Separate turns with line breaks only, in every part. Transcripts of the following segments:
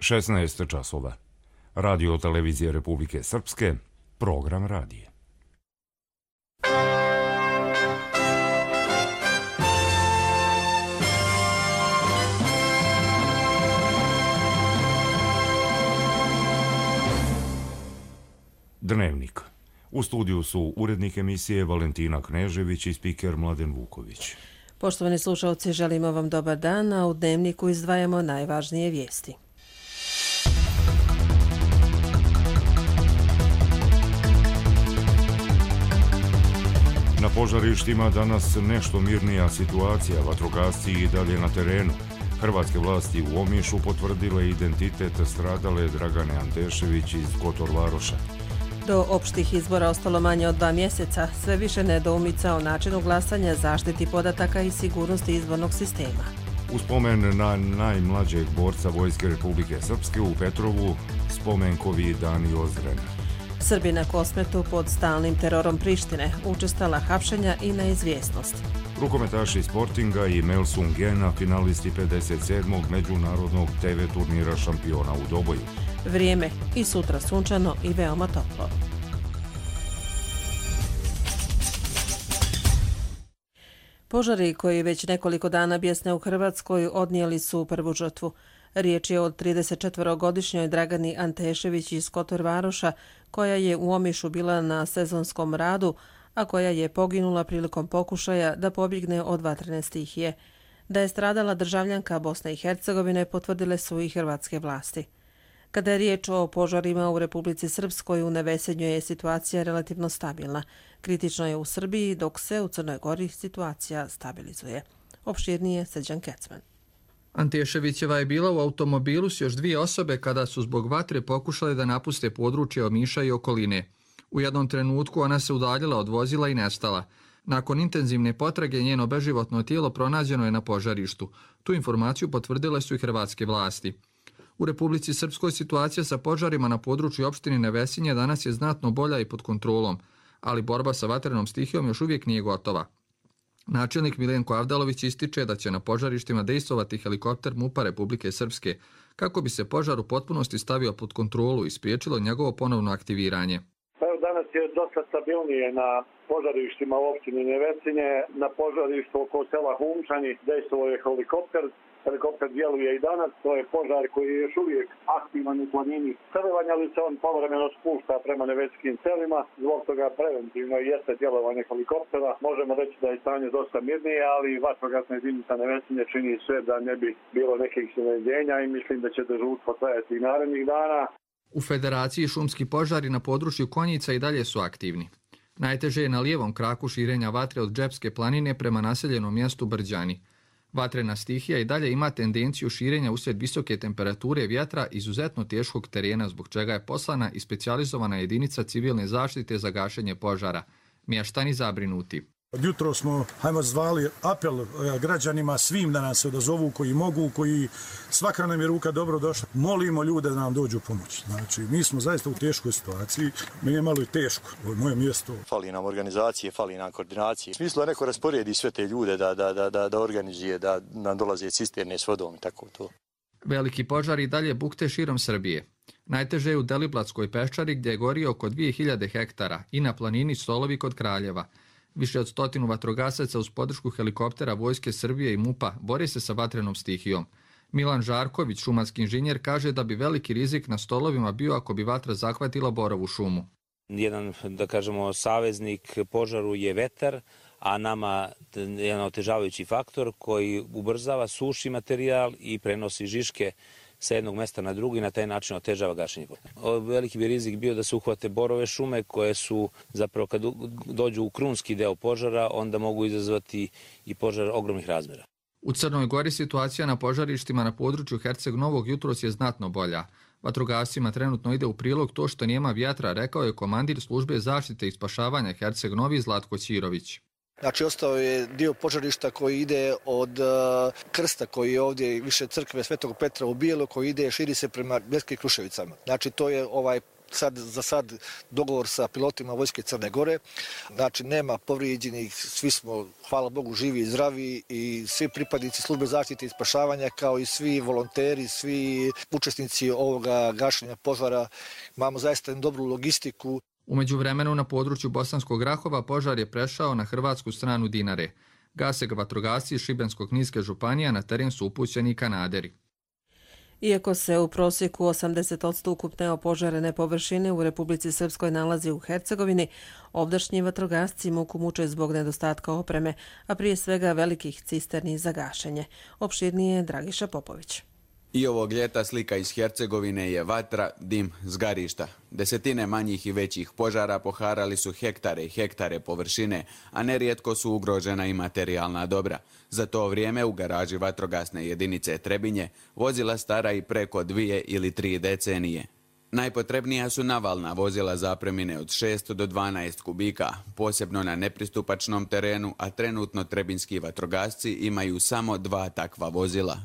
16 časova. Radio televizije Republike Srpske, program radije. Dnevnik. U studiju su urednik emisije Valentina Knežević i spiker Mladen Vuković.
Poštovani slušalci, želimo vam dobar dan, a u Dnevniku izdvajamo najvažnije vijesti.
Na požarištima danas nešto mirnija situacija, vatrogasci i dalje na terenu. Hrvatske vlasti u Omišu potvrdile identitet stradale Dragane Antešević iz Kotor Varoša.
Do opštih izbora ostalo manje od 2 mjeseca, sve više nedoumica o načinu glasanja, zaštiti podataka i sigurnosti izbornog sistema.
U spomen na najmlađeg borca Vojske Republike Srpske u Petrovu, spomenkovi dani Ozren.
Srbi na Kosmetu pod stalnim terorom Prištine, učestala hapšenja i neizvjesnost.
Rukometaši Sportinga i Melsungena, finalisti 57. međunarodnog TV turnira šampiona u Doboju.
Vrijeme i sutra sunčano i veoma toplo. Požari koji već nekoliko dana bjesne u Hrvatskoj odnijeli su prvu žrtvu. Riječ je o 34-godišnjoj Dragani Antešević iz Kotor Varoša, koja je u Omišu bila na sezonskom radu, a koja je poginula prilikom pokušaja da pobjegne od vatrene stihije. Da je stradala državljanka Bosne i Hercegovine potvrdile su i hrvatske vlasti. Kada je riječ o požarima u Republici Srpskoj, u Nevesenju je situacija relativno stabilna. Kritično je u Srbiji, dok se u Crnoj Gori situacija stabilizuje. Opširnije Srđan Kecman.
Anteševićeva je bila u automobilu s još 2 osobe kada su zbog vatre pokušale da napuste područje Omiša i okoline. U jednom trenutku ona se udaljila od vozila i nestala. Nakon intenzivne potrage njeno beživotno tijelo pronađeno je na požarištu. Tu informaciju potvrdile su i hrvatske vlasti. U Republici Srpskoj situacija sa požarima na području opštine Nevesinje danas je znatno bolja i pod kontrolom, ali borba sa vatrenom stihijom još uvijek nije gotova. Načelnik Miljenko Avdalović ističe da će na požarištima dejstvovati helikopter MUP-a Republike Srpske kako bi se požar u potpunosti stavio pod kontrolu i spriječilo njegovo ponovno aktiviranje.
Danas je dosta stabilnije na požarištima u opštini Nevesinje. Na požarištu oko sela Humčani dejstvovao je helikopter. Helikopter djeluje i danas, to je požar koji je još uvijek aktivan u planini Crvanja, ali se on povremeno spušta prema neveskim selima. Zbog toga preventivno jeste djelovanje helikoptera. Možemo reći da je stanje dosta mirnije, ali vatrogasna jedinica Nevesinje čini sve da ne bi bilo nekih iznenađenja i mislim da će dežurstvo trajati i narednih dana.
U Federaciji šumski požari na području Konjica i dalje su aktivni. Najteže je na lijevom kraku širenja vatre od Džepske planine prema naseljenom mjestu Brđani. Vatrena stihija i dalje ima tendenciju širenja uslijed visoke temperature vjetra izuzetno teškog terena, zbog čega je poslana i specijalizovana jedinica civilne zaštite za gašenje požara. Mještani zabrinuti.
Jutro smo, zvali apel građanima svim da nam se odazovu koji mogu, koji svaka nam je ruka dobro došla. Molimo ljude da nam dođu pomoći. Znači, mi smo zaista u teškoj situaciji. Meni je malo i teško. Ovo je moje mjesto.
Fali nam organizacije, fali nam koordinacije. U smislu da neko rasporedi sve te ljude, da organizuje, da nam dolaze cisterne s vodom i tako to.
Veliki požar i dalje bukte širom Srbije. Najteže je u Deliblatskoj peščari gdje je gorio oko 2000 hektara i na planini Stolovi kod Kraljeva. Više od 100 vatrogasaca uz podršku helikoptera Vojske Srbije i MUP-a bori se sa vatrenom stihijom. Milan Žarković, šumarski inženjer, kaže da bi veliki rizik na Stolovima bio ako bi vatra zahvatila borovu šumu.
Jedan, da kažemo, saveznik požaru je vetar, a nama jedan otežavajući faktor koji ubrzava, suši materijal i prenosi žiške sa jednog mjesta na drugi i na taj način otežava gašenje. Veliki bi rizik bio da se uhvate borove šume koje su zapravo kad dođu u krunski deo požara onda mogu izazvati i požar ogromnih razmjera.
U Crnoj Gori situacija na požarištima na području Herceg Novog jutros je znatno bolja. Vatrogascima trenutno ide u prilog to što nema vjetra, rekao je komandir službe zaštite i spašavanja Herceg Novi Zlatko Ćirović.
Znači, ostao je dio požarišta koji ide od krsta koji je ovdje više crkve Svetog Petra u Bijelu, koji ide, širi se prema Bljeskim Kruševicama. Znači, to je za sad dogovor sa pilotima Vojske Crne Gore. Znači, nema povrijeđenih, svi smo, hvala Bogu, živi i zdravi i svi pripadnici službe zaštite i spašavanja, kao i svi volonteri, svi učesnici ovoga gašenja požara. Imamo zaista dobru logistiku.
U međuvremenu na području Bosanskog Rahova požar je prešao na hrvatsku stranu Dinare. Gase ga vatrogasci iz Šibensko-kninske županije, na teren su upućeni i kanaderi.
Iako se u prosjeku 80% ukupne opožarene površine u Republici Srpskoj nalazi u Hercegovini, ovdašnji vatrogasci muku muče zbog nedostatka opreme, a prije svega velikih cisterni za gašenje. Opširnije Dragiša Popović.
I ovog ljeta slika iz Hercegovine je vatra, dim, zgarišta. Desetine manjih i većih požara poharali su hektare i hektare površine, a nerijetko su ugrožena i materijalna dobra. Za to vrijeme u garaži vatrogasne jedinice Trebinje vozila stara i preko 2 ili 3 decenije. Najpotrebnija su navalna vozila zapremine od 6 do 12 kubika, posebno na nepristupačnom terenu, a trenutno trebinski vatrogasci imaju samo 2 takva vozila.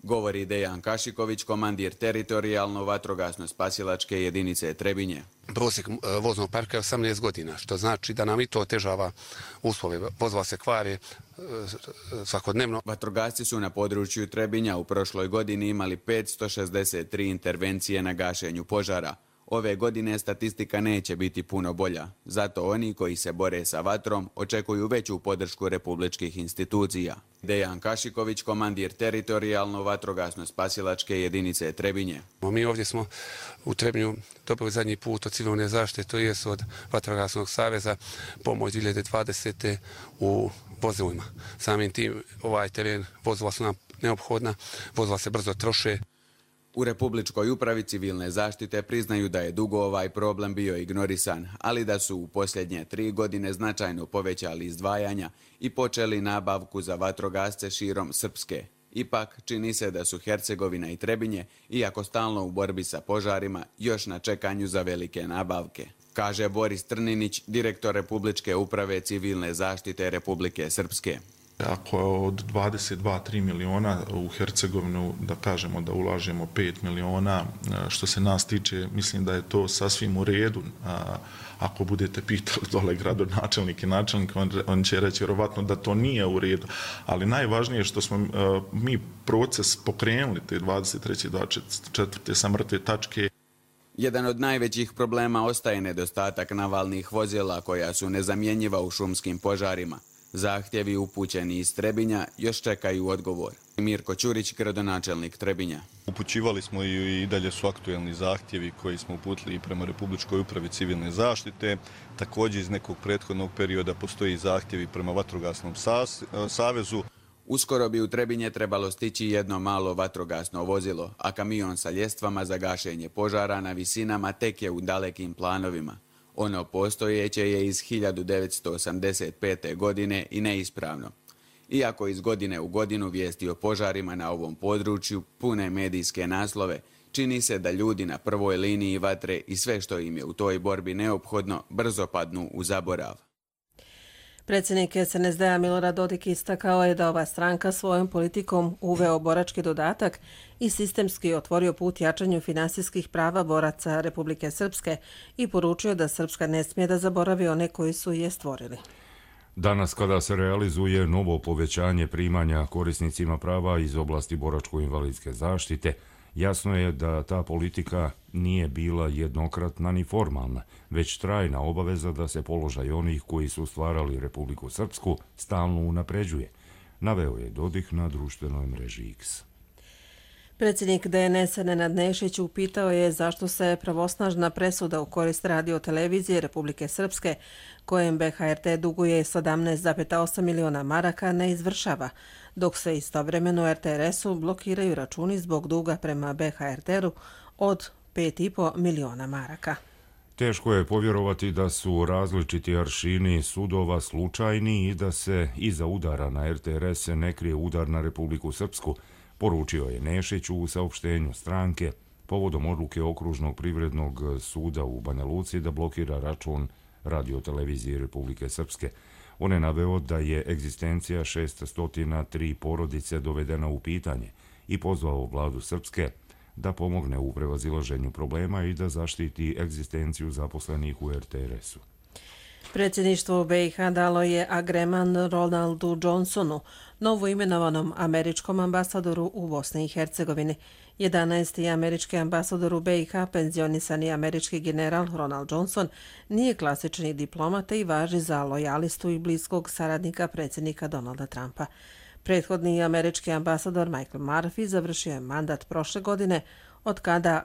Govori Dejan Kašiković, komandir teritorijalno vatrogasno-spasilačke jedinice Trebinje.
Prosjek voznog parka je 18 godina, što znači da nam i to otežava uslove. Vozila se kvare svakodnevno.
Vatrogasci su na području Trebinja u prošloj godini imali 563 intervencije na gašenju požara. Ove godine statistika neće biti puno bolja. Zato oni koji se bore sa vatrom očekuju veću podršku republičkih institucija. Dejan Kašiković, komandir teritorijalno vatrogasno-spasilačke jedinice Trebinje.
Mi ovdje smo u Trebinju dobili zadnji put od civilne zaštite, to je od Vatrogasnog saveza, pomoć 2020. u vozilima. Samim tim ovaj teren, vozila su nam neophodna, vozila se brzo troše.
U Republičkoj upravi civilne zaštite priznaju da je dugo ovaj problem bio ignorisan, ali da su u posljednje 3 godine značajno povećali izdvajanja i počeli nabavku za vatrogasce širom Srpske. Ipak, čini se da su Hercegovina i Trebinje, iako stalno u borbi sa požarima, još na čekanju za velike nabavke. Kaže Boris Trninić, direktor Republičke uprave civilne zaštite Republike Srpske.
Ako od 22-3 miliona u Hercegovinu, da kažemo da ulažemo 5 miliona, što se nas tiče, mislim da je to sasvim u redu. Ako budete pitali dole gradonačelnike i načelnike, on će reći vjerovatno da to nije u redu. Ali najvažnije je što smo mi proces pokrenuli te 23. 24. sa mrtve tačke.
Jedan od najvećih problema ostaje nedostatak navalnih vozila koja su nezamjenjiva u šumskim požarima. Zahtjevi upućeni iz Trebinja još čekaju odgovor. Mirko Ćurić, gradonačelnik Trebinja.
Upućivali smo i dalje su aktuelni zahtjevi koji smo uputili prema Republičkoj upravi civilne zaštite. Također iz nekog prethodnog perioda postoji zahtjevi prema Vatrogasnom savezu.
Uskoro bi u Trebinje trebalo stići jedno malo vatrogasno vozilo, a kamion sa ljestvama za gašenje požara na visinama tek je u dalekim planovima. Ono postojeće je iz 1985. godine i neispravno. Iako iz godine u godinu vijesti o požarima na ovom području pune medijske naslove, čini se da ljudi na prvoj liniji vatre i sve što im je u toj borbi neophodno brzo padnu u zaborav.
Predsjednik SNSD-a Milorad Dodik istakao je da ova stranka svojom politikom uveo borački dodatak i sistemski otvorio put jačanju finansijskih prava boraca Republike Srpske i poručio da Srpska ne smije da zaboravi one koji su je stvorili.
Danas kada se realizuje novo povećanje primanja korisnicima prava iz oblasti boračko-invalidske zaštite, jasno je da ta politika nije bila jednokratna ni formalna, već trajna obaveza da se položaj onih koji su stvarali Republiku Srpsku stalno unapređuje, naveo je Dodik na društvenoj mreži X.
Predsjednik DNS-a Nenad Nešić upitao je zašto se pravosnažna presuda u korist radio-televizije Republike Srpske, kojem BHRT duguje 17,8 miliona maraka, ne izvršava, dok se istovremeno RTRS-u blokiraju računi zbog duga prema BHRT-u od 5,5 miliona maraka.
Teško je povjerovati da su različiti aršini sudova slučajni i da se iza udara na RTRS ne krije udar na Republiku Srpsku, poručio je Nešić u saopštenju stranke povodom odluke Okružnog privrednog suda u Banja Luci da blokira račun radio-televizije Republike Srpske. On je naveo da je egzistencija 603 porodice dovedena u pitanje i pozvao vladu Srpske da pomogne u prevazilaženju problema i da zaštiti egzistenciju zaposlenih u RTRS-u.
Predsjedništvo BiH dalo je agreman Ronaldu Johnsonu, novo imenovanom američkom ambasadoru u Bosni i Hercegovini. 11. američki ambasador u BiH, penzionisani američki general Ronald Johnson, nije klasični diplomata i važi za lojalistu i bliskog saradnika predsjednika Donalda Trumpa. Prethodni američki ambasador Michael Murphy završio je mandat prošle godine, od kada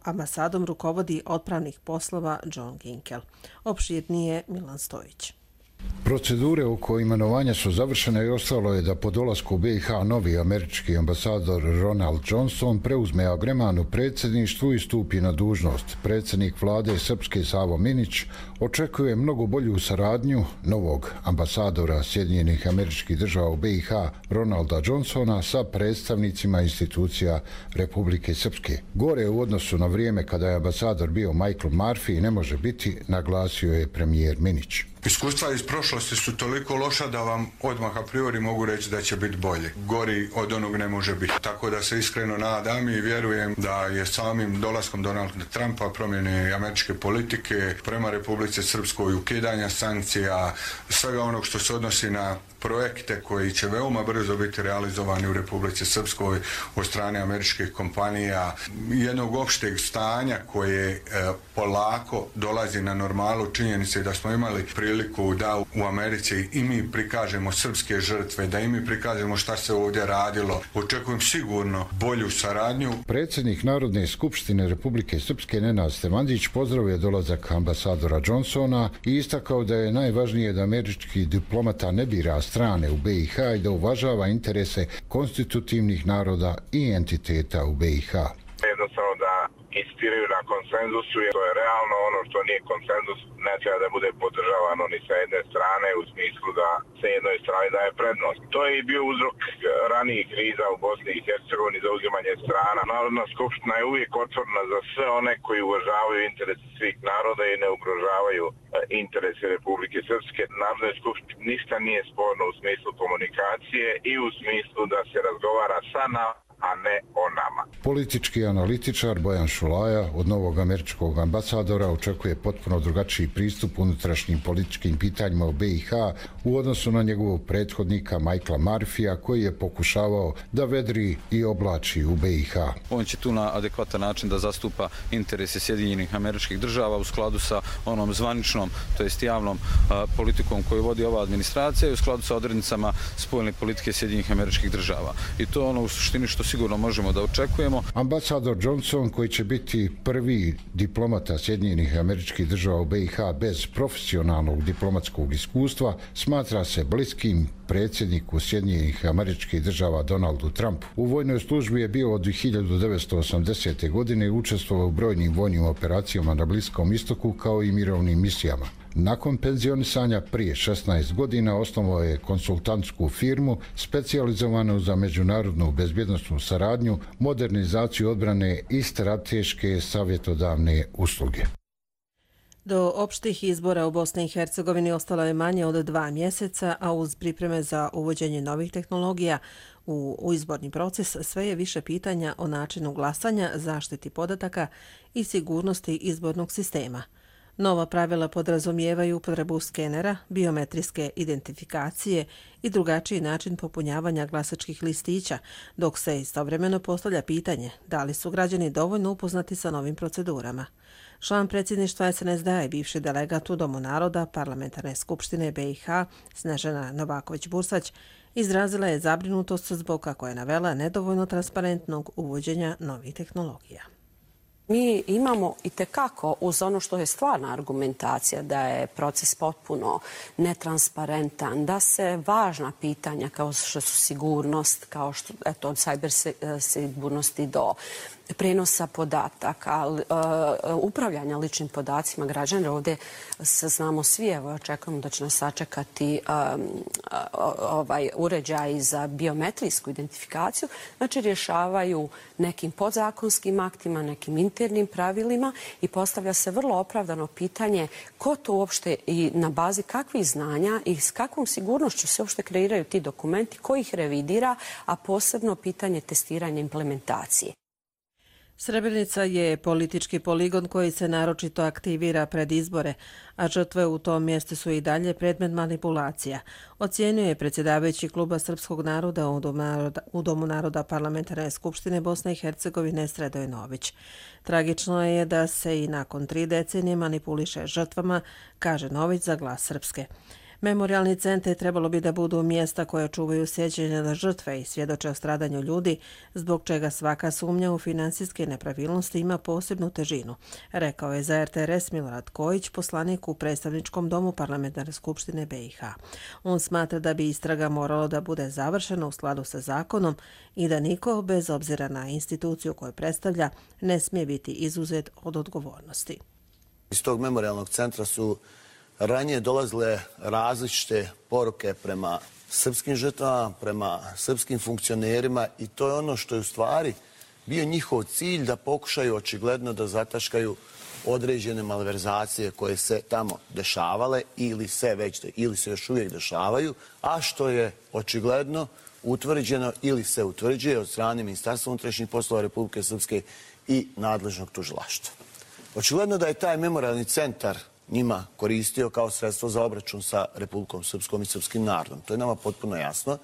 ambasadom rukovodi otpravnih poslova John Ginkel. Opširnije Milan Stojić.
Procedure oko imenovanja su završene i ostalo je da po dolasku BiH novi američki ambasador Ronald Johnson preuzme agreman u predsjedništvu i stupi na dužnost. Predsjednik vlade Srpske Savo Minić očekuje mnogo bolju saradnju novog ambasadora Sjedinjenih Američkih Država u BiH Ronalda Johnsona sa predstavnicima institucija Republike Srpske. Gore u odnosu na vrijeme kada je ambasador bio Michael Murphy ne može biti, naglasio je premijer Minić.
Iskustva iz prošlosti su toliko loša da vam odmah a priori mogu reći da će biti bolje. Gori od onog ne može biti. Tako da se iskreno nadam i vjerujem da je samim dolaskom Donalda Trumpa, promjene američke politike prema Republici Srpskoj, ukidanja sankcija, svega onog što se odnosi na projekte koji će veoma brzo biti realizovani u Republici Srpskoj od strane američkih kompanija, jednog opšteg stanja koje polako dolazi na normalu, činjenice da smo imali priliku da u Americi i mi prikažemo srpske žrtve, da i mi prikažemo šta se ovdje radilo. Očekujem sigurno bolju saradnju.
Predsjednik Narodne skupštine Republike Srpske Nenad Stevandić pozdravio dolazak ambasadora Johnsona i istakao da je najvažnije da američki diplomata ne bira strane u BiH i da uvažava interese konstitutivnih naroda i entiteta u BiH.
Jednostavno da insistiraju na konsenzusu, jer to je realno, ono što nije konsenzus ne treba da bude podržavano ni sa jedne strane u smislu da se jednoj strani daje prednost. To je i bio uzrok ranijih kriza u Bosni i Hercegovini za uzimanje strana. Narodna skupština je uvijek otvorena za sve one koji uvažavaju interese svih naroda i ne ugrožavaju interese Republike Srpske. Narodnoj skupštini ništa nije sporno u smislu komunikacije i u smislu da se razgovara sa nama, a ne o nama.
Politički analitičar Bojan Šulaja od novog američkog ambasadora očekuje potpuno drugačiji pristup unutrašnjim političkim pitanjima u BiH u odnosu na njegovog prethodnika Michaela Murphyja koji je pokušavao da vedri i oblači u BiH.
On će tu na adekvatan način da zastupa interese Sjedinjenih Američkih Država u skladu sa onom zvaničnom, to jest javnom politikom koju vodi ova administracija i u skladu sa odrednicama spoljne politike Sjedinjenih Američkih Država. I to je ono u suštini što sigurno možemo da očekujemo.
Ambasador Johnson, koji će biti prvi diplomata Sjedinjenih Američkih Država u BiH bez profesionalnog diplomatskog iskustva, smatra se bliskim predsjedniku Sjedinjenih Američkih Država Donaldu Trumpu. U vojnoj službi je bio od 1980. godine i učestvovao u brojnim vojnim operacijama na Bliskom istoku kao i mirovnim misijama. Nakon penzionisanja prije 16 godina osnovao je konsultantsku firmu specijalizovanu za međunarodnu bezbjednosnu saradnju, modernizaciju odbrane i strateške savjetodavne usluge.
Do opštih izbora u Bosni i Hercegovini ostalo je manje od 2 mjeseca, a uz pripreme za uvođenje novih tehnologija u izborni proces sve je više pitanja o načinu glasanja, zaštiti podataka i sigurnosti izbornog sistema. Nova pravila podrazumijevaju upotrebu skenera, biometrijske identifikacije i drugačiji način popunjavanja glasačkih listića, dok se istovremeno postavlja pitanje da li su građani dovoljno upoznati sa novim procedurama. Član predsjedništva SNSD i bivši delegat u Domu naroda Parlamentarne skupštine BiH Snežana Novaković-Bursać izrazila je zabrinutost zbog, kako je navela, nedovoljno transparentnog uvođenja novih tehnologija.
Mi imamo itekako uz ono što je stvarna argumentacija da je proces potpuno netransparentan, da se važna pitanja kao što su sigurnost, kao što od cyber sigurnosti do prenosa podataka, upravljanja ličnim podacima građana. Ovdje se znamo svi, evo očekujemo da će nas sačekati uređaj za biometrijsku identifikaciju, znači rješavaju nekim podzakonskim aktima, nekim internim pravilima i postavlja se vrlo opravdano pitanje ko to uopšte i na bazi kakvih znanja i s kakvom sigurnošću se uopšte kreiraju ti dokumenti, ko ih revidira, a posebno pitanje testiranja implementacije.
Srebrenica je politički poligon koji se naročito aktivira pred izbore, a žrtve u tom mjestu su i dalje predmet manipulacija, ocjenjuje predsjedavajući Kluba srpskog naroda u Domu naroda Parlamentarne skupštine Bosne i Hercegovine Sredoj Nović. Tragično je da se i nakon 3 decenije manipuliše žrtvama, kaže Nović za Glas Srpske. Memorialni centri trebalo bi da budu mjesta koje čuvaju sjećanje na žrtve i svjedoče o stradanju ljudi, zbog čega svaka sumnja u finansijske nepravilnosti ima posebnu težinu, rekao je za RTRS Milorad Kojić, poslanik u predstavničkom domu Parlamentarne skupštine BiH. On smatra da bi istraga moralo da bude završena u skladu sa zakonom i da niko, bez obzira na instituciju koju predstavlja, ne smije biti izuzet od odgovornosti.
Iz tog memorialnog centra su ranije dolazile različite poruke prema srpskim žrtvama, prema srpskim funkcionerima i to je ono što je u stvari bio njihov cilj, da pokušaju očigledno da zataškaju određene malverzacije koje se tamo dešavale ili se još uvijek dešavaju, a što je očigledno utvrđeno ili se utvrđuje od strane Ministarstva unutrašnjih poslova Republike Srpske i nadležnog tužilaštva. Očigledno da je taj memorialni centar njima koristio kao sredstvo za obračun sa Republikom Srpskom i srpskim narodom. To je nama potpuno jasno,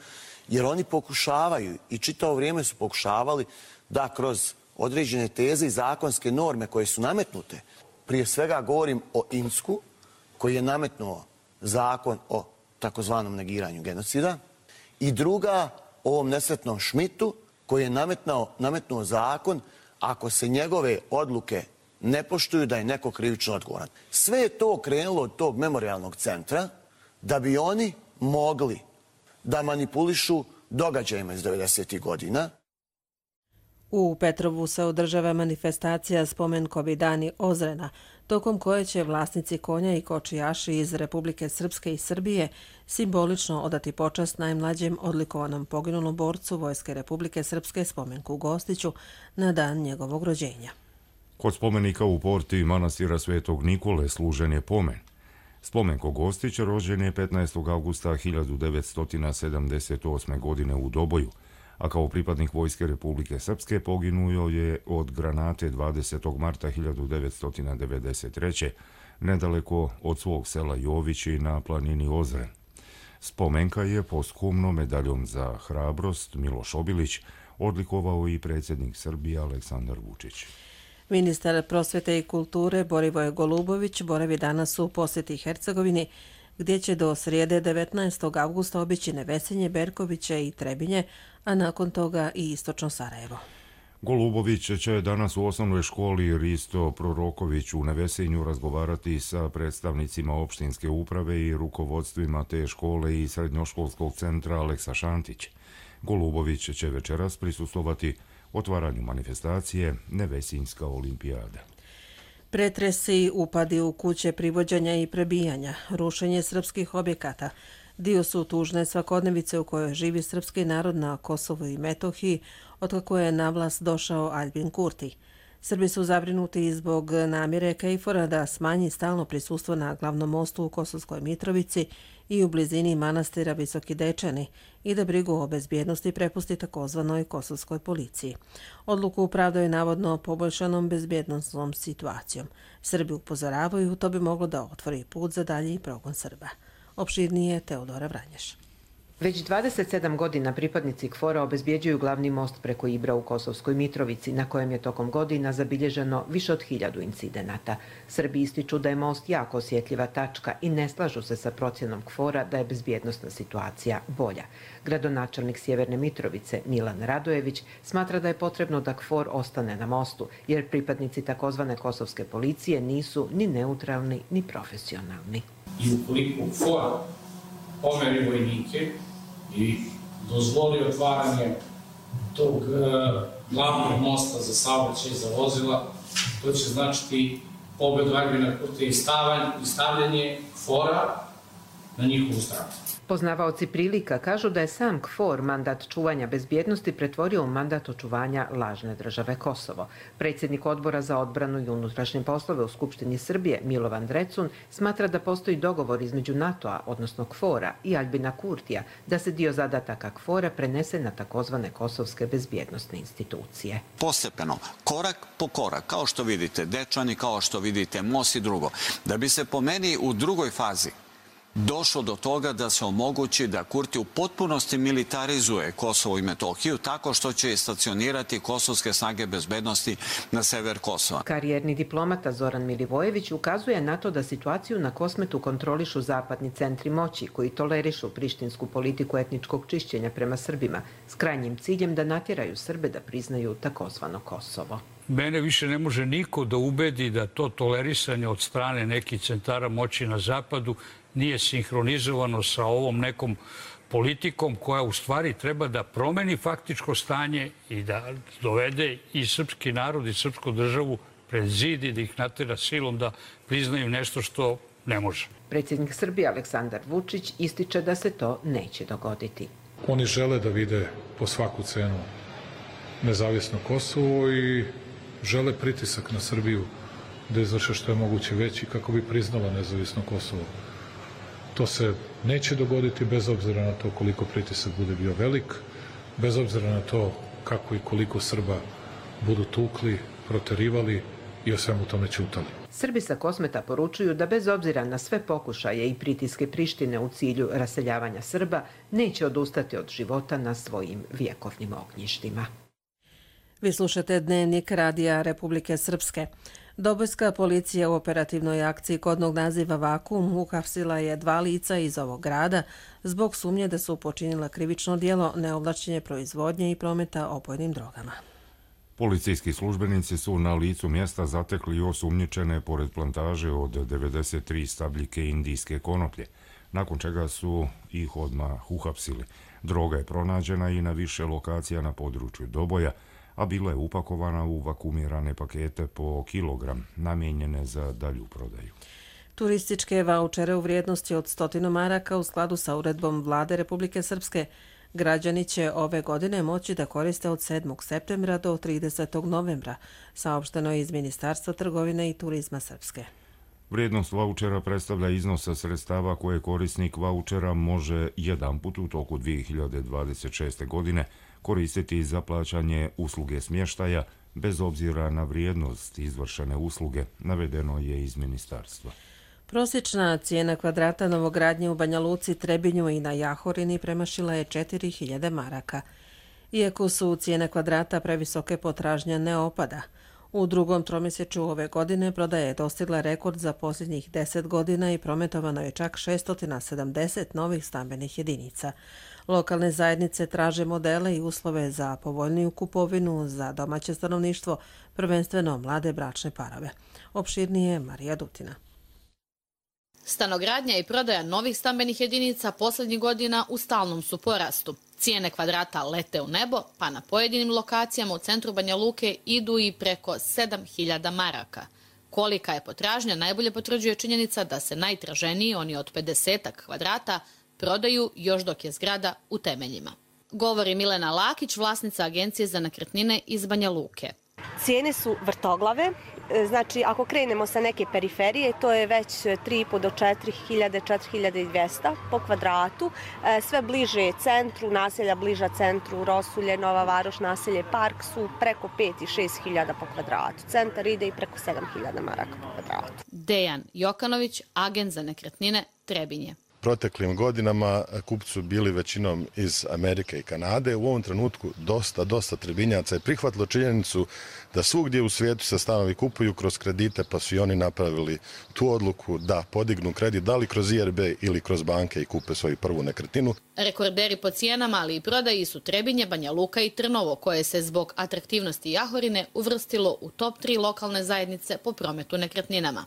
jer oni pokušavaju i čitavo vrijeme su pokušavali da kroz određene teze i zakonske norme koje su nametnute, prije svega govorim o Insku, koji je nametnuo zakon o takozvanom negiranju genocida, i druga o ovom nesretnom Šmitu, koji je nametnuo zakon ako se njegove odluke ne poštuju, da je neko krivično odgovoran. Sve je to krenulo od tog memorialnog centra da bi oni mogli da manipulišu događajima iz 90. godina.
U Petrovu se održava manifestacija Spomenkovi dani Ozrena, tokom koje će vlasnici konja i kočijaši iz Republike Srpske i Srbije simbolično odati počast najmlađem odlikovanom poginulom borcu Vojske Republike Srpske Spomenku Gostiću na dan njegovog rođenja.
Kod spomenika u porti manastira Svetog Nikole služen je pomen. Spomenko Gostić rođen je 15. augusta 1978. godine u Doboju, a kao pripadnik Vojske Republike Srpske poginuo je od granate 20. marta 1993. nedaleko od svog sela Jovići na planini Ozren. Spomenka je posthumno medaljom za hrabrost Miloš Obilić odlikovao i predsjednik Srbije Aleksandar Vučić.
Ministar prosvete i kulture Borivoje Golubović boravi danas u posjeti Hercegovini, gdje će do srijede 19. augusta obići Nevesinje, Berkoviće i Trebinje, a nakon toga i istočno Sarajevo.
Golubović će danas u osnovnoj školi Risto Proroković u Nevesinju razgovarati sa predstavnicima opštinske uprave i rukovodstvima te škole i srednjoškolskog centra Aleksa Šantić. Golubović će večeras prisustvovati otvaranju manifestacije Nevesinjska olimpijada.
Pretresi, upadi u kuće privođenja i prebijanja, rušenje srpskih objekata, dio su tužne svakodnevice u kojoj živi srpski narod na Kosovu i Metohiji, otkako je na vlast došao Albin Kurti. Srbi su zabrinuti zbog namjere KFOR-a da smanji stalno prisustvo na glavnom mostu u Kosovskoj Mitrovici i u blizini manastira Visoki Dečani i da brigu o bezbjednosti prepusti takozvanoj kosovskoj policiji. Odluku upravdaju navodno poboljšanom bezbjednostnom situacijom. Srbi upozoravaju, to bi moglo da otvori put za dalji progon Srba. Opširnije Teodora Vranješ.
Već 27 godina pripadnici KFOR-a obezbjeđuju glavni most preko Ibra u Kosovskoj Mitrovici, na kojem je tokom godina zabilježeno više od 1000 incidenata. Srbi ističu da je most jako osjetljiva tačka i ne slažu se sa procjenom KFOR-a da je bezbjednostna situacija bolja. Gradonačelnik Sjeverne Mitrovice Milan Radojević smatra da je potrebno da KFOR ostane na mostu, jer pripadnici takozvane kosovske policije nisu ni neutralni ni profesionalni.
I ukoliko KFOR pomeri vojnike i dozvoli otvaranje tog glavnog mosta za saobraćaj za vozila, to će značiti pobedu Albina Kurtija i stavljanje KFOR-a na njihovu stranu.
Poznavaoci prilika kažu da je sam KFOR mandat čuvanja bezbjednosti pretvorio u mandat očuvanja lažne države Kosovo. Predsjednik Odbora za odbranu i unutrašnje poslove u Skupštini Srbije, Milovan Drecun, smatra da postoji dogovor između NATO-a, odnosno KFOR-a i Aljbina Kurtija, da se dio zadataka KFOR-a prenese na takozvane kosovske bezbjednostne institucije.
Postepeno, korak po korak, kao što vidite Dečani, kao što vidite Mos i drugo, da bi se po meni u drugoj fazi došlo do toga da se omogući da Kurti u potpunosti militarizuje Kosovo i Metohiju tako što će stacionirati kosovske snage bezbednosti na sever Kosova.
Karijerni diplomata Zoran Milivojević ukazuje na to da situaciju na Kosmetu kontrolišu zapadni centri moći koji tolerišu prištinsku politiku etničkog čišćenja prema Srbima s krajnjim ciljem da natjeraju Srbe da priznaju takozvano Kosovo.
Mene više ne može niko da ubedi da to tolerisanje od strane nekih centara moći na zapadu nije sinhronizovano sa ovom nekom politikom koja u stvari treba da promeni faktičko stanje i da dovede i srpski narod i srpsku državu pred zid i da ih natera silom da priznaju nešto što ne može.
Predsjednik Srbije Aleksandar Vučić ističe da se to neće dogoditi.
Oni žele da vide po svaku cenu nezavisno Kosovo i žele pritisak na Srbiju da izvrše što je moguće veći kako bi priznala nezavisno Kosovo. To se neće dogoditi bez obzira na to koliko pritisak bude bio velik, bez obzira na to kako i koliko Srba budu tukli, proterivali i o svemu tome ćutali.
Srbi sa Kosmeta poručuju da bez obzira na sve pokušaje i pritiske Prištine u cilju raseljavanja Srba, neće odustati od života na svojim vjekovnim ognjištima.
Vi slušate Dnevnik Radija Republike Srpske. Dobojska policija u operativnoj akciji kodnog naziva Vakuum uhapsila je 2 lica iz ovog grada zbog sumnje da su počinila krivično djelo neovlašćenje proizvodnje i prometa opojnim drogama.
Policijski službenici su na licu mjesta zatekli osumnjičene pored plantaže od 93 stabljike indijske konoplje, nakon čega su ih odmah uhapsili. Droga je pronađena i na više lokacija na području Doboja, a bila je upakovana u vakuumirane pakete po kilogram, namijenjene za dalju prodaju.
Turističke vaučere u vrijednosti od 100 maraka u skladu sa uredbom Vlade Republike Srpske građani će ove godine moći da koriste od 7. septembra do 30. novembra, saopšteno je iz Ministarstva trgovine i turizma Srpske.
Vrijednost vaučera predstavlja iznos sredstava koje korisnik vaučera može jedan put u toku 2026. godine koristiti za plaćanje usluge smještaja bez obzira na vrijednost izvršene usluge, navedeno je iz ministarstva.
Prosječna cijena kvadrata novogradnje u Banja Luci, Trebinju i na Jahorini premašila je 4000 maraka. Iako su cijene kvadrata previsoke, potražnja ne opada. U drugom tromjesečju ove godine prodaja je dostigla rekord za posljednjih 10 godina i prometovano je čak 670 novih stambenih jedinica. Lokalne zajednice traže modele i uslove za povoljniju kupovinu za domaće stanovništvo, prvenstveno mlade bračne parove. Opširnije Marija Dutina.
Stanogradnja i prodaja novih stambenih jedinica posljednjih godina u stalnom su porastu. Cijene kvadrata lete u nebo, pa na pojedinim lokacijama u centru Banja Luke idu i preko 7000 maraka. Kolika je potražnja najbolje potvrđuje činjenica da se najtraženiji, oni od 50 kvadrata, prodaju još dok je zgrada u temeljima. Govori Milena Lakić, vlasnica Agencije za nekretnine iz Banja Luke.
Cijene su vrtoglave, znači ako krenemo sa neke periferije, to je već 3,5 do 4000, 4200 po kvadratu. Sve bliže centru, naselja bliža centru, Rosulje, Nova Varoš, naselje Park su preko 5 i 6000 po kvadratu. Centar ide i preko 7000 maraka po kvadratu.
Dejan Jokanović, agent za nekretnine Trebinje.
Proteklim godinama kupci su bili većinom iz Amerike i Kanade. U ovom trenutku dosta Trebinjaca je prihvatilo činjenicu da svugdje u svijetu se stanovi kupuju kroz kredite, pa su i oni napravili tu odluku da podignu kredit, da li kroz IRB ili kroz banke i kupe svoju prvu nekretninu.
Rekorderi po cijenama, ali i prodaji su Trebinje, Banja Luka i Trnovo, koje se zbog atraktivnosti Jahorine uvrstilo u top 3 lokalne zajednice po prometu nekretninama.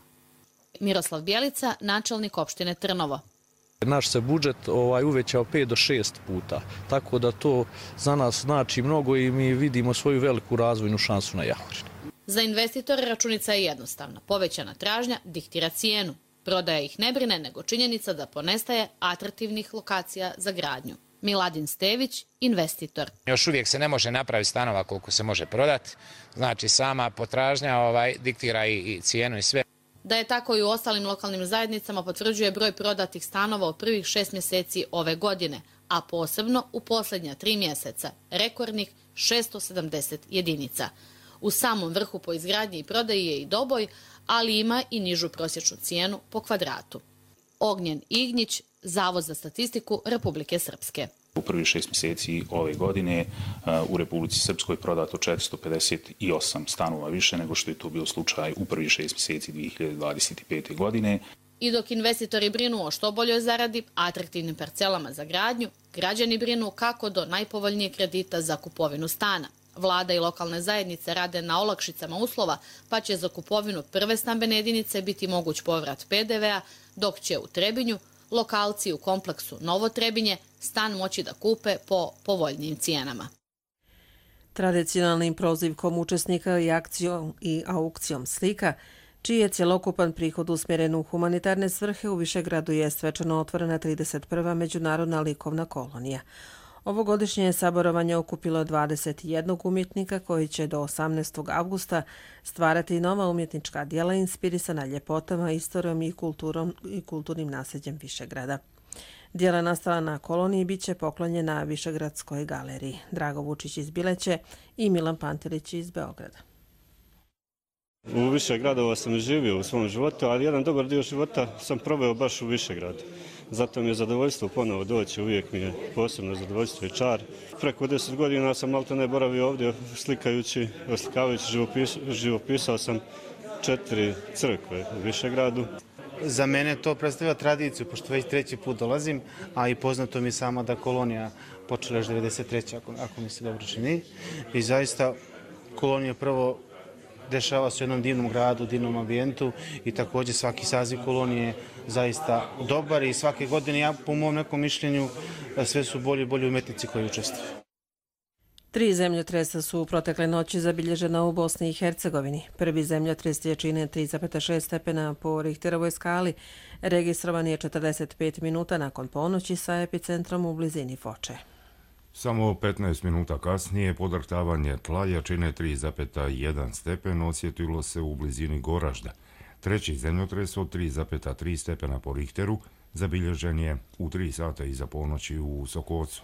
Miroslav Bjelica, načelnik opštine Trnovo.
Naš se budžet uvećao 5 do 6 puta, tako da to za nas znači mnogo i mi vidimo svoju veliku razvojnu šansu na Jahorini.
Za investitore računica je jednostavna. Povećana tražnja diktira cijenu. Prodaja ih ne brine, nego činjenica da ponestaje atraktivnih lokacija za gradnju. Miladin Stević, investitor.
Još uvijek se ne može napraviti stanova koliko se može prodati. Znači sama potražnja diktira i cijenu i sve.
Da je tako i u ostalim lokalnim zajednicama potvrđuje broj prodatih stanova u prvih 6 mjeseci ove godine, a posebno u posljednja 3 mjeseca, rekordnih 670 jedinica. U samom vrhu po izgradnji i prodaji je i Doboj, ali ima i nižu prosječnu cijenu po kvadratu. Ognjen Ignjić, Zavod za statistiku Republike Srpske.
U prvih 6 mjeseci ove godine u Republici Srpskoj prodato 458 stanova više nego što je to bio slučaj u prvih 6 mjeseci 2025. godine.
I dok investitori brinu o što boljoj zaradi, atraktivnim parcelama za gradnju, građani brinu kako do najpovoljnijeg kredita za kupovinu stana. Vlada i lokalne zajednice rade na olakšicama uslova, pa će za kupovinu prve stambene jedinice biti moguć povrat PDV-a, dok će u Trebinju lokalci u kompleksu Novo Trebinje stan moći da kupe po povoljnijim cijenama.
Tradicionalnim prozivkom učesnika i aukcijom slika, čiji je cjelokupan prihod usmjeren u humanitarne svrhe, u Višegradu je svečano otvorena 31. međunarodna likovna kolonija. Ovogodišnje je saborovanje okupilo 21 umjetnika koji će do 18. avgusta stvarati nova umjetnička djela inspirisana ljepotama, istorijom i kulturnim nasljeđem Višegrada. Djela nastala na koloniji bit će poklonjena Višegradskoj galeriji. Drago Vučić iz Bileće i Milan Pantelić iz Beograda.
U više gradova sam živio u svom životu, ali jedan dobar dio života sam proveo baš u Višegradu. Zato mi je zadovoljstvo ponovo doći, uvijek mi je posebno zadovoljstvo i čar. Preko 10 godina sam maltene boravio ovdje oslikavajući, živopisao sam 4 crkve u Višegradu.
Za mene to predstavlja tradiciju, pošto već 3. put dolazim, a i poznato mi je sama da kolonija počela još 93. ako mi se dobro čini. I zaista kolonija prvo dešava se u jednom divnom gradu, divnom ambijentu i također svaki saziv kolonije je zaista dobar i svake godine, ja po mom nekom mišljenju, sve su bolji i bolji umetnici koji učestvuju.
3 zemljotresa su u protekle noći zabilježena u Bosni i Hercegovini. Prvi zemljotres jačine 3,6 stepena po Richterovoj skali registrovan je 45 minuta nakon ponoći sa epicentrom u blizini Foče.
Samo 15 minuta kasnije podrhtavanje tla jačine 3,1 stepen osjetilo se u blizini Goražda. Treći zemljotres od 3,3 stepena po Richteru zabilježen je u 3 sata iza ponoći u Sokocu.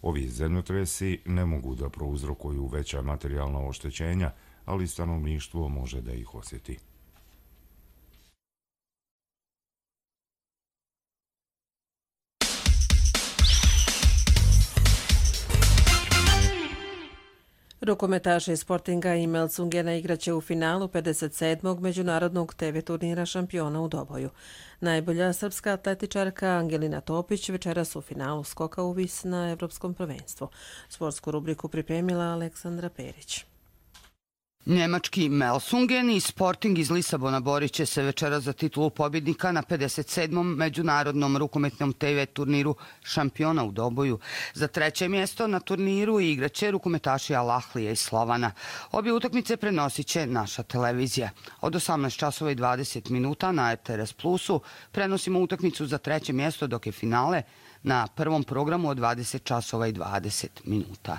Ovi zemljotresi ne mogu da prouzrokuju veća materijalna oštećenja, ali stanovništvo može da ih osjeti.
Rukometaši Sportinga i Melsungena igraće u finalu 57. međunarodnog TV turnira šampiona u Doboju. Najbolja srpska atletičarka Angelina Topić večeras u finalu skoka u vis na Evropskom prvenstvu. Sportsku rubriku pripremila Aleksandra Perić.
Njemački Melsungen i Sporting iz Lisabona borit će se večera za titulu pobjednika na 57. međunarodnom rukometnom TV turniru šampiona u Doboju. Za 3. mjesto na turniru igraće rukometaši Al Ahlija iz Slovana. Obje utakmice prenosit će naša televizija. Od 18 časova i 20 minuta na RTS Plusu prenosimo utakmicu za 3. mjesto, dok je finale na prvom programu od 20 časova i 20 minuta.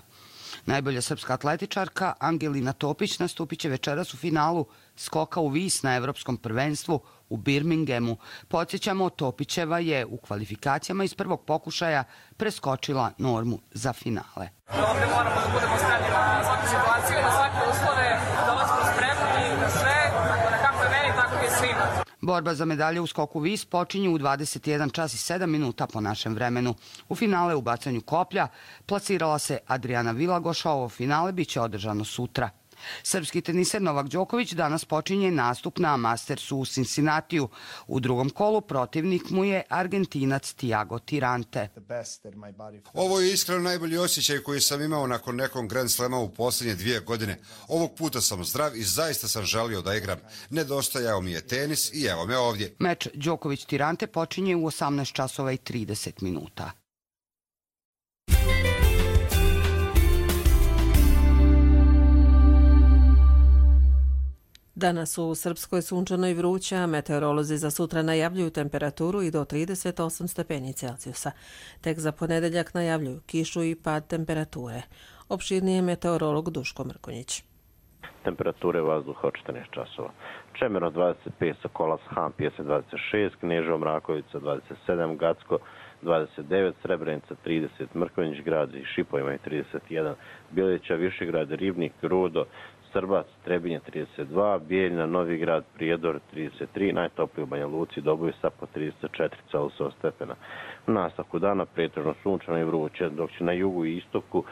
Najbolja srpska atletičarka Angelina Topić nastupit će večeras u finalu skoka u vis na Evropskom prvenstvu u Birminghamu. Podsjećamo, Topićeva je u kvalifikacijama iz prvog pokušaja preskočila normu za finale.
Ovdje moramo da budemo spremni na svaku situaciju, na svake uslove, dolazimo spremni na sve, tako da kako je meni, tako je svima.
Borba za medalje u skoku vis počinje u 21 čas i 7 minuta po našem vremenu. U finale u bacanju koplja plasirala se Adriana Vilagoš, a ovo finale biće održano sutra. Srpski teniser Novak Đoković danas počinje nastup na Mastersu u Cincinnatiju. U drugom kolu protivnik mu je Argentinac Tiago Tirante.
Ovo je iskreno najbolji osjećaj koji sam imao nakon nekog Grand Slema u posljednje 2 godine. Ovog puta sam zdrav i zaista sam želio da igram. Nedostajao mi je tenis i evo me ovdje.
Meč Đoković-Tirante počinje u 18 časova i 30 minuta.
Danas u Srpskoj sunčano i vruća, meteorolozi za sutra najavljuju temperaturu i do 38 stepeni Celzijusa. Tek za ponedeljak najavljuju kišu i pad temperature. Opširnije meteorolog Duško Mrkonjić.
Temperature vazduha od 14 časova. Čemerno 25, Sokolac, Han, Pjesme 26, Kneževo, Mrakovica 27, Gacko 29, Srebrenica 30, Mrkonjić grad i Šipo imaju 31, Bjelića, Višegrad, Ribnik, Rudo, Srbac, Trebinje 32, Bijeljna, Novi grad, Prijedor 33, najtopliji u Banja Luci, Doboj sa po 34 stepena. U nastavku dana pretežno sunčano i vruće, dok će na jugu i istoku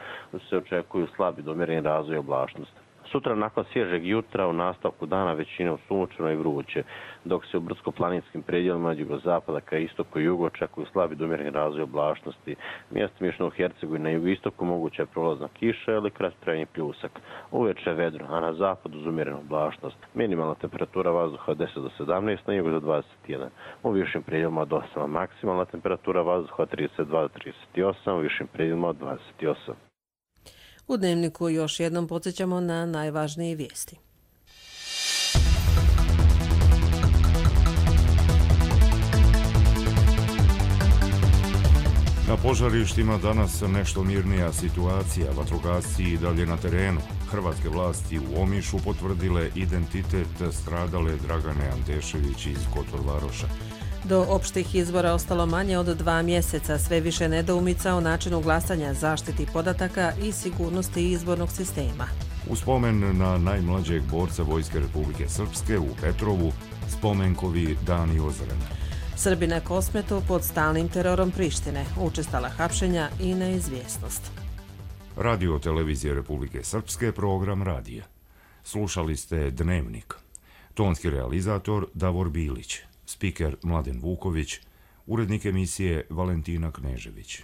se očekuju slabi do umjereni razvoj oblačnosti. Sutra nakon svježeg jutra u nastavku dana većinom sunčano i vruće, dok se u brdsko-planinskim predjelima od jugozapada ka istoku i jugu očekuju slabi do umjereni razvoj oblačnosti. Mjestimično u Hercegovini na jugoistoku moguća je prolazna kiša ili kratkotrajni pljusak. Uveče vedro, a na zapadu uz umjerenu oblačnost. Minimalna temperatura vazduha od 10 do 17, na jugu do 21. U višim predjelima od 8, maksimalna temperatura vazduha od 32 do 38, u višim predjelima od 28.
U Dnevniku još jednom podsjećamo na najvažnije vijesti.
Na požarištima danas nešto mirnija situacija, vatrogasci i dalje na terenu. Hrvatske vlasti u Omišu potvrdile identitet stradale Dragane Antešević iz Kotor-Varoša.
Do opštih izbora ostalo manje od 2 mjeseca, sve više nedoumica o načinu glasanja, zaštiti podataka i sigurnosti izbornog sistema.
U spomen na najmlađeg borca Vojske Republike Srpske u Petrovu, spomenkovi Dani Ozrena.
Srbi na Kosmetu pod stalnim terorom Prištine, učestala hapšenja i neizvjesnost.
Radio Televizije Republike Srpske, program radija. Slušali ste Dnevnik. Tonski realizator Davor Bilić. Spiker Mladen Vuković, urednik emisije Valentina Knežević.